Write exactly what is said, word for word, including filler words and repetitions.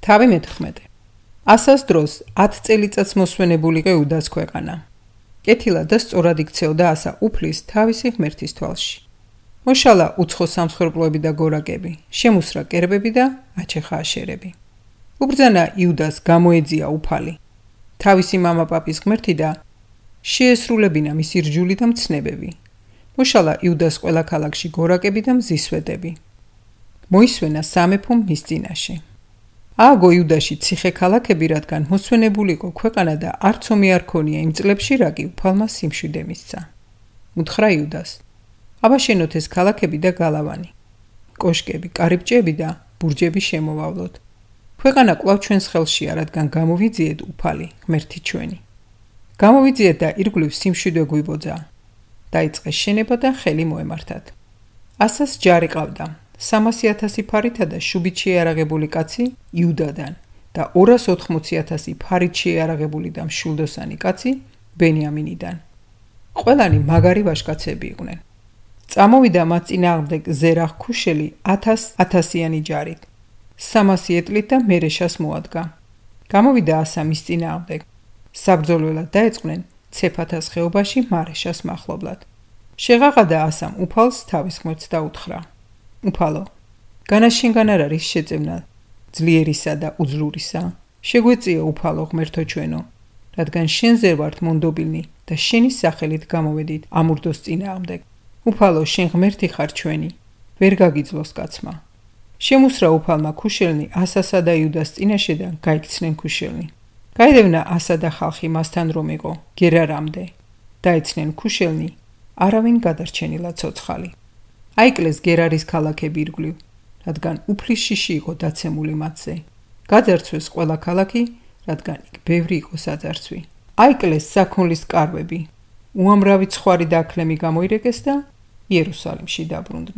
თავი მეთერთმეტე. ასას დროს ათ წელიწადს მოსვენებულიყო იუდას ქვეყანა. კეთილა და სწორად იქცეოდა ასა უფლის თავისი ღმერთის თვალში. მოშალა უცხო სამსხვერპლოები და გორაკები, შემუსრა კერბები და აჩეხა აშერები. უბრძანა იუდას გამოეძია უფალი. თავისი მამა-პაპის ღმერთი და შეესრულებინა მისი რჯული და მცნებები. მოშალა იუდას ყველა ქალაქში გორაკები და მზისვეტები. მოისვენა სამეფო მის წინაშე. ააგო იუდაში ციხე ქალაქები, რადგან მოსვენებულიყო ქვეყანა და არც ომი არ ქონია იმ წლებში, რა კი უფალმა სიმშვიდე მისცა. უთხრა იუდას: აბა შენოთ ეს ქალაქები და გალავანი, კოშკები, კარიბჭეები და ბურჯები შემოვავლოთ. ქვეყანა კვლავ ჩვენს ხელშია, რადგან გამოვიძიეთ უფალი, ღმერთი ჩვენი. გამოვიძიეთ და ირგვლივ სიმშვიდე გვიბოძა. დაიწყეს შენება და ხელი მოემართათ. ასას ჯარი ყავდა, სამასი ათასი ფარითა და შუბით შეიარაღებული კაცი იუდადან და ორას ოთხმოცი ათასი ფარით შეიარაღებული და მშვილდოსანი კაცი ბენიამინიდან. ყველანი მაგარი ვაჟკაცები იყვნენ. წამოვიდა მათ წინააღმდეგ ზერახ ქუშელი ათას ათასიანი ჯარით. სამასი ეტლით და მერეშას მოადგა. გამოვიდა ასა მის წინააღმდეგ. საბრძოლველად დაეწყნენ ცეფათას ხეობაში მარეშას მახლობლად. შეღაღადა ასამ უფალს თავის ღმერთს და უთხრა: უფალო, განა შენგან არ არის შეწევნა ძლიერისა და უძლურისა? შეგვეწიო უფალო ღმერთო ჩვენო, რადგან შენზე ვართ მონდობილნი და შენი სახელით გამოვედით ამურდოს წინააღმდეგ. უფალო, შენ ღმერთი ხარ ჩვენი, ვერ გაგიძლოს კაცმა. შემუსრა უფალმა ქუშელნი ასასა და იუდას წინაშე და გაიქცნენ ქუშელნი. გაედევნა ასა და ხალხი მასთან რომ იყო გერარამდე. დაეცნენ ქუშელნი, არავინ გადარჩენილა ცოცხალი. აიკლეს გერარის ქალაქები ირგვლივ, რადგან უფლის შიში იყო დაცემული მათზე. გაძარცვეს ყველა ქალაქი, რადგან იქ ბევრი იყო საძარცვი. აიკლეს საქონლის კარვები, უამრავი ცხვარი და აქლემი გამოირეკეს და იერუსალიმში დაბრუნდნენ.